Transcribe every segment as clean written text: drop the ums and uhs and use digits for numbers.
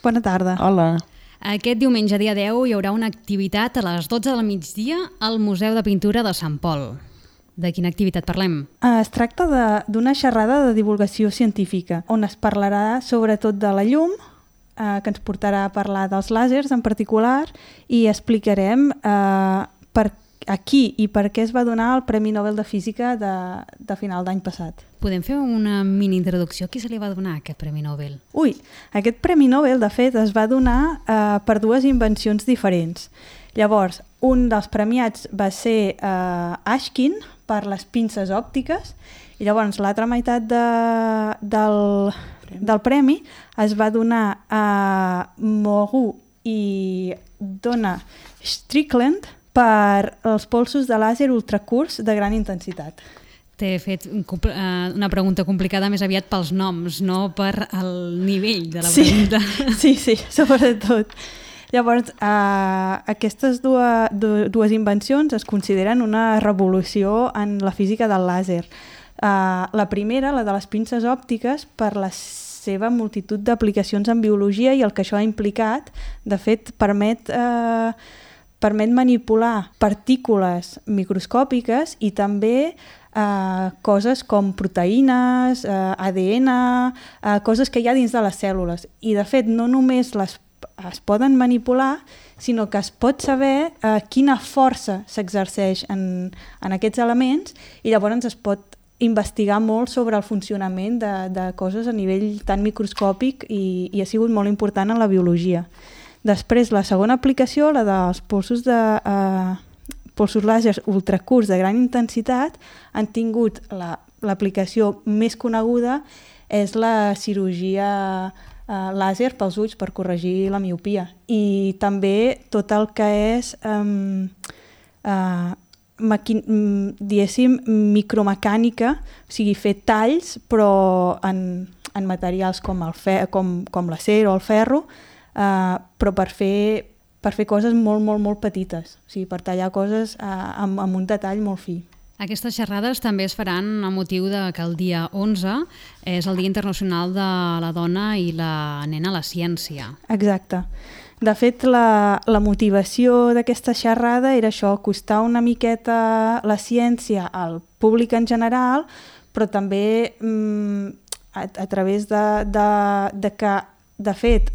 Bona tarda. Hola. Aquest diumenge, dia 10, hi haurà una activitat a les 12 del migdia al Museu de Pintura de Sant Pol. De quina activitat parlem? Es tracta d'una xerrada de divulgació científica, on es parlarà sobretot de la llum, que ens portarà a parlar dels làsers en particular, i explicarem a qui i per què es va donar el Premi Nobel de Física de final d'any passat. Podem fer una mini introducció? A qui se li va donar aquest Premi Nobel? Aquest Premi Nobel, de fet, es va donar per dues invencions diferents. Llavors, un dels premiats va ser Ashkin, per les pinces òptiques, i llavors l'altra meitat del premi es va donar a Moreau i Donna Strickland per els polsos de làser ultracurts de gran intensitat. T'he fet una pregunta complicada més aviat pels noms, no per el nivell de la pregunta. Sí, sobretot. Llavors, aquestes dues invencions es consideren una revolució en la física del làser. La primera, la de les pinces òptiques, per la seva multitud d'aplicacions en biologia i el que això ha implicat, de fet, permet manipular partícules microscòpiques i també coses com proteïnes, ADN, coses que hi ha dins de les cèl·lules. I, de fet, no només es poden manipular, sinó que es pot saber quina força s'exerceix en aquests elements i llavors es pot investigar molt sobre el funcionament de coses a nivell tan microscòpic i ha sigut molt important en la biologia. Després, la segona aplicació, la dels polsos làsers ultracurts de gran intensitat, han tingut l'aplicació més coneguda és la cirurgia làser pels ulls per corregir la miopia. I també tot el que és diguéssim micromecànica, o sigui, fer talls però en materials com l'acer o el ferro, però per fer coses molt, molt, molt petites, o sigui, per tallar coses amb un detall molt fi. Aquestes xerrades també es faran a motiu que el dia 11 és el Dia Internacional de la Dona i la Nena a la Ciència. Exacte. De fet, la motivació d'aquesta xerrada era això, acostar una miqueta la ciència al públic en general, però també a través de que, de fet,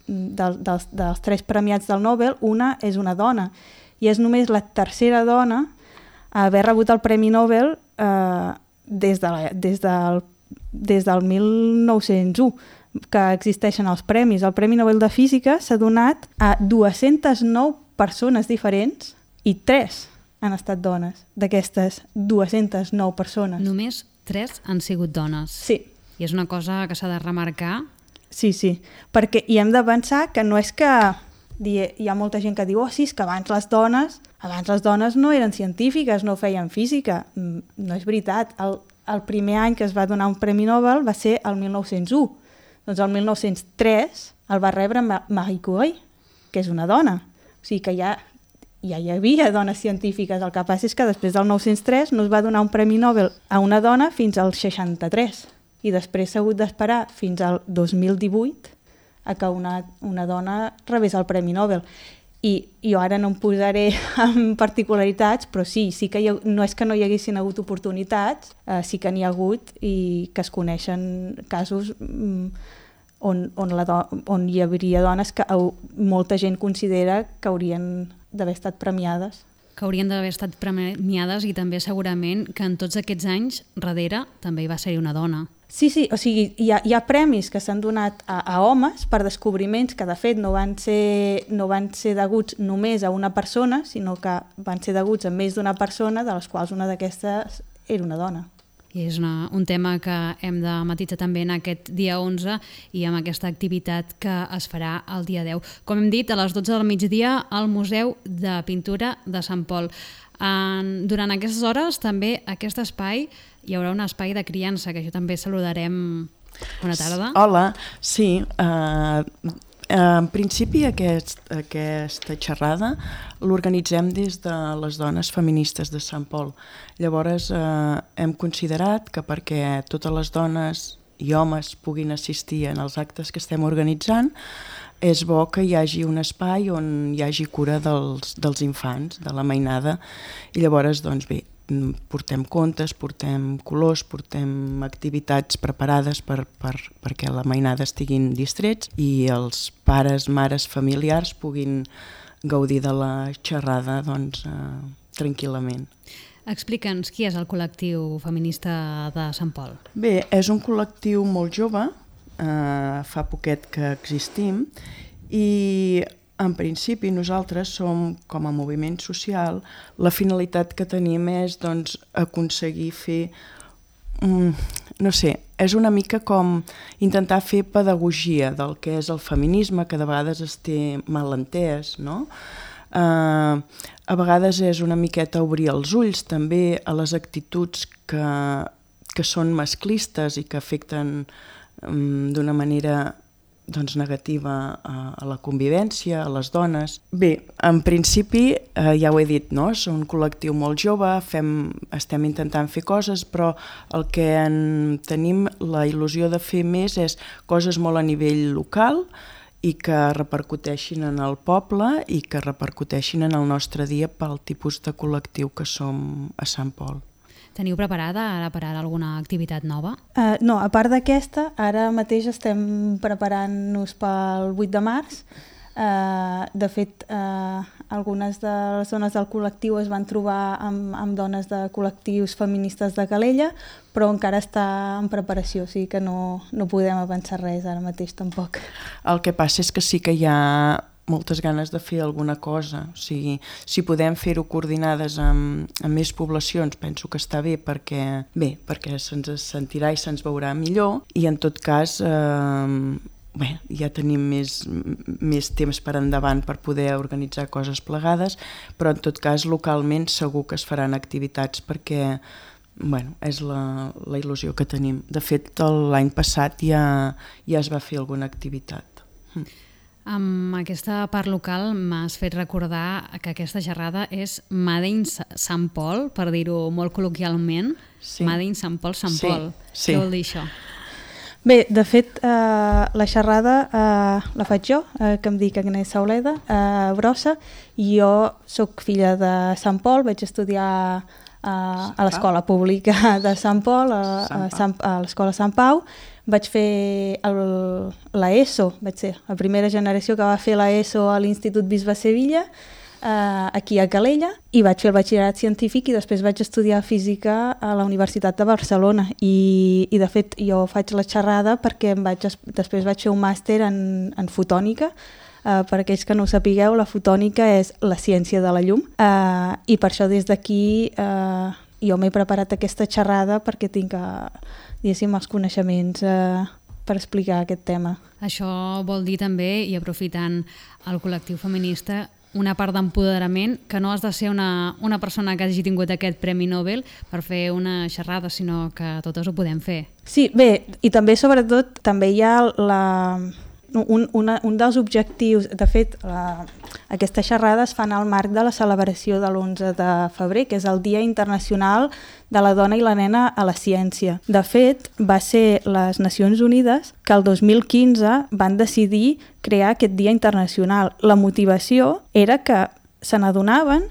dels 3 premiats del Nobel, una és una dona, i és només la tercera dona a haver rebut el Premi Nobel des del 1901, que existeixen els premis. El Premi Nobel de Física s'ha donat a 209 persones diferents i 3 han estat dones, d'aquestes 209 persones. Només 3 han sigut dones. Sí. I és una cosa que s'ha de remarcar. Sí, perquè hi hem de pensar que no és que hi ha molta gent que diu sí, és que abans les dones no eren científiques, no feien física. No és veritat. El primer any que es va donar un Premi Nobel va ser el 1901. Doncs el 1903 el va rebre Marie Curie, que és una dona. O sigui que ja hi havia dones científiques. El que passa és que després del 1903 no es va donar un Premi Nobel a una dona fins al 63. I després s'ha hagut d'esperar fins al 2018 a que una dona rebés el Premi Nobel. I jo ara no em posaré en particularitats, però sí que no és que no hi haguessin hagut oportunitats, sí que n'hi ha hagut i que es coneixen casos on hi hauria dones que molta gent considera que haurien d'haver estat premiades. Que haurien d'haver estat premiades i també segurament que en tots aquests anys darrere també hi va ser una dona. Sí, o sigui, hi ha premis que s'han donat a homes per descobriments que de fet no van ser deguts només a una persona, sinó que van ser deguts a més d'una persona, de les quals una d'aquestes era una dona. I és un tema que hem de matisar també en aquest dia 11 i amb aquesta activitat que es farà el dia 10. Com hem dit, a les 12 del migdia al Museu de Pintura de Sant Pol. Durant aquestes hores també aquest espai hi haurà un espai de criança, que això també saludarem. Bona tarda. Hola, sí. En principi aquesta xerrada l'organitzem des de les dones feministes de Sant Pol. Llavors hem considerat que perquè totes les dones i homes puguin assistir en els actes que estem organitzant, és bo que hi hagi un espai on hi hagi cura dels infants, de la mainada, i llavors, doncs bé, portem contes, portem colors, portem activitats preparades perquè la mainada estiguin distrets i els pares, mares, familiars puguin gaudir de la xerrada doncs, tranquil·lament. Explica'ns qui és el col·lectiu feminista de Sant Pol. Bé, és un col·lectiu molt jove, fa poquet que existim, i en principi nosaltres som, com a moviment social, la finalitat que tenim és doncs, aconseguir fer, no sé, és una mica com intentar fer pedagogia del que és el feminisme, que de vegades es té mal entès, no? A vegades és una miqueta obrir els ulls també a les actituds que són masclistes i que afecten d'una manera doncs, negativa a la convivència, a les dones. Bé, en principi, ja ho he dit, no? És un col·lectiu molt jove, estem intentant fer coses, però el que tenim la il·lusió de fer més és coses molt a nivell local i que repercuteixin en el poble i que repercuteixin en el nostre dia pel tipus de col·lectiu que som a Sant Pol. Teniu preparada ara per ara alguna activitat nova? No, a part d'aquesta, ara mateix estem preparant-nos pel 8 de març. De fet, algunes de les dones del col·lectiu es van trobar amb dones de col·lectius feministes de Calella, però encara està en preparació, o sigui que no podem avançar res ara mateix tampoc. El que passa és que sí que hi ha moltes ganes de fer alguna cosa. O sigui, si podem fer-ho coordinades amb més poblacions, penso que està bé perquè se'ns sentirà i se'ns veurà millor, i en tot cas ja tenim més temps per endavant per poder organitzar coses plegades, però en tot cas localment segur que es faran activitats perquè és la il·lusió que tenim. De fet, l'any passat ja es va fer alguna activitat. Amb aquesta part local m'has fet recordar que aquesta xerrada és Made in Sant Pol, per dir-ho molt col·loquialment. Sí. Made in Sant Pol, Sant Pol. Sí. Què vol dir això? Bé, de fet, la xerrada la faig jo, que em dic Agnès Sauleda, Brossa, i jo sóc filla de Sant Pol, vaig estudiar a l'escola pública de Sant Pol, a l'escola Sant Pau. Vaig fer l'ESO, vaig ser la primera generació que va fer l'ESO a l'Institut Bisbe Sevilla, aquí a Calella, i vaig fer el batxillerat científic i després vaig estudiar física a la Universitat de Barcelona. I de fet jo faig la xerrada perquè després vaig fer un màster en fotònica. Per aquells que no ho sapigueu, la fotònica és la ciència de la llum, i per això des d'aquí jo m'he preparat aquesta xerrada perquè tinc els coneixements per explicar aquest tema. Això vol dir també, i aprofitant el col·lectiu feminista, una part d'empoderament, que no has de ser una persona que hagi tingut aquest Premi Nobel per fer una xerrada, sinó que totes ho podem fer. Sí, bé, i també sobretot també hi ha un dels objectius, de fet, aquestes xerrades fan al marc de la celebració de l'11 de febrer, que és el Dia Internacional de la Dona i la Nena a la Ciència. De fet, va ser les Nacions Unides que el 2015 van decidir crear aquest Dia Internacional. La motivació era que se n'adonaven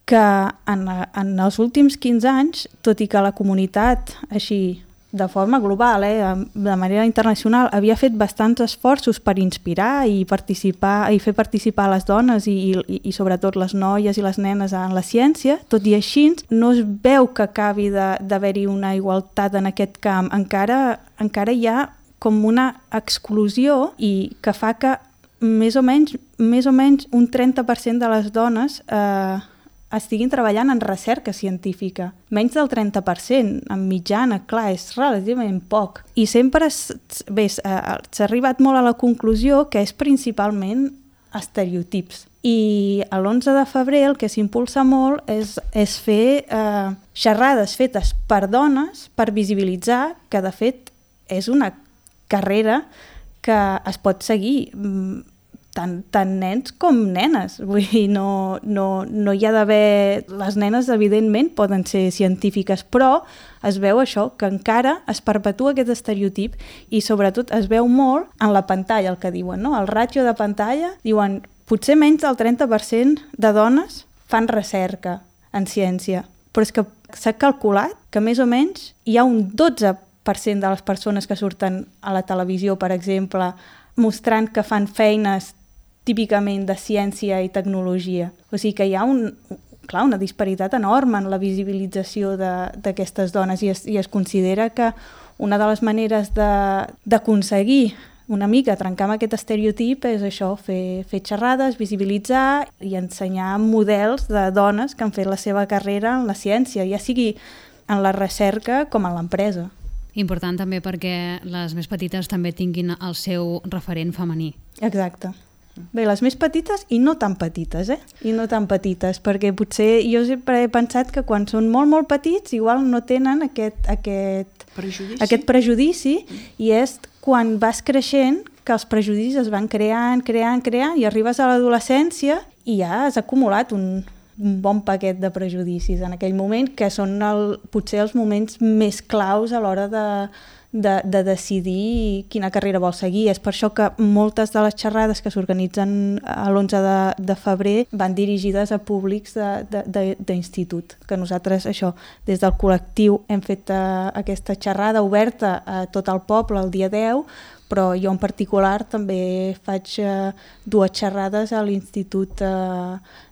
que en els últims 15 anys, tot i que la comunitat així de forma global, de manera internacional, havia fet bastants esforços per inspirar i participar i fer participar les dones i sobretot les noies i les nenes en la ciència, tot i així no es veu que acabi d'haver-hi una igualtat en aquest camp. Encara hi ha com una exclusió i que fa que més o menys un 30% de les dones estiguin treballant en recerca científica. Menys del 30%, en mitjana, clar, és relativament poc. I sempre s'ha arribat molt a la conclusió que és principalment estereotips. I l'11 de febrer el que s'impulsa molt és fer xerrades fetes per dones per visibilitzar que, de fet, és una carrera que es pot seguir tant nens com nenes. Vull dir, no hi ha d'haver... Les nenes, evidentment, poden ser científiques, però es veu això, que encara es perpetua aquest estereotip i, sobretot, es veu molt en la pantalla, el que diuen, no? El ràtio de pantalla, diuen, potser menys del 30% de dones fan recerca en ciència, però és que s'ha calculat que més o menys hi ha un 12% de les persones que surten a la televisió, per exemple, mostrant que fan feines típicament de ciència i tecnologia. O sigui que hi ha una disparitat enorme en la visibilització d'aquestes dones i es considera que una de les maneres d'aconseguir una mica trencar amb aquest estereotip és això, fer xerrades, visibilitzar i ensenyar models de dones que han fet la seva carrera en la ciència, ja sigui en la recerca com en l'empresa. Important també perquè les més petites també tinguin el seu referent femení. Exacte. Bé, les més petites i no tan petites, I no tan petites, perquè potser jo sempre he pensat que quan són molt, molt petits igual no tenen aquest prejudici i és quan vas creixent que els prejudicis es van creant i arribes a l'adolescència i ja has acumulat un bon paquet de prejudicis en aquell moment, que són potser els moments més claus a l'hora de decidir quina carrera vol seguir. És per això que moltes de les xerrades que s'organitzen l'11 de febrer van dirigides a públics d'institut, que nosaltres això, des del col·lectiu hem fet aquesta xerrada oberta a tot el poble el dia 10, però jo en particular també faig 2 xerrades a l'Institut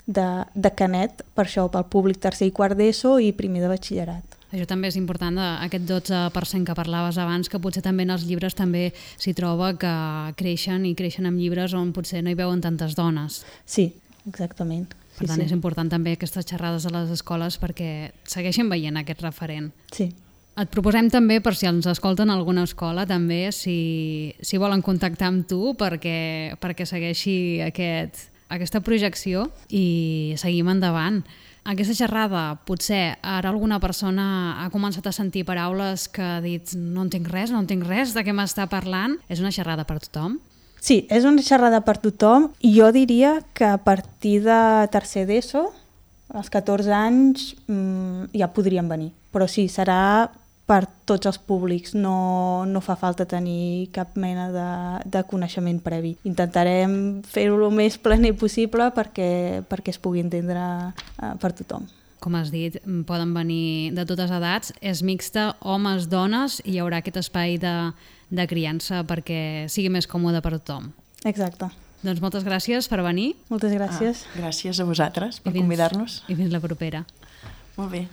de Canet, per això, pel públic tercer i quart d'ESO i primer de batxillerat. Això també és important, aquest 12% que parlaves abans, que potser també en els llibres també s'hi troba que creixen amb llibres on potser no hi veuen tantes dones. Sí, exactament. Per tant, és important també aquestes xerrades a les escoles perquè segueixin veient aquest referent. Sí. Et proposem també, per si ens escolten alguna escola, també si volen contactar amb tu perquè segueixi aquesta projecció i seguim endavant. Aquesta xerrada, potser ara alguna persona ha començat a sentir paraules que ha dit no entenc res de què m'està parlant. És una xerrada per tothom? Sí, és una xerrada per tothom i jo diria que a partir de tercer d'ESO, als 14 anys, ja podrien venir. Però sí, serà per tots els públics, no fa falta tenir cap mena de coneixement previ. Intentarem fer-ho el més planer possible perquè es pugui entendre per tothom. Com has dit, poden venir de totes edats, és mixta, homes, dones, i hi haurà aquest espai de criança perquè sigui més còmode per tothom. Exacte. Doncs moltes gràcies per venir. Moltes gràcies. Gràcies a vosaltres per convidar-nos. I fins la propera. Molt bé.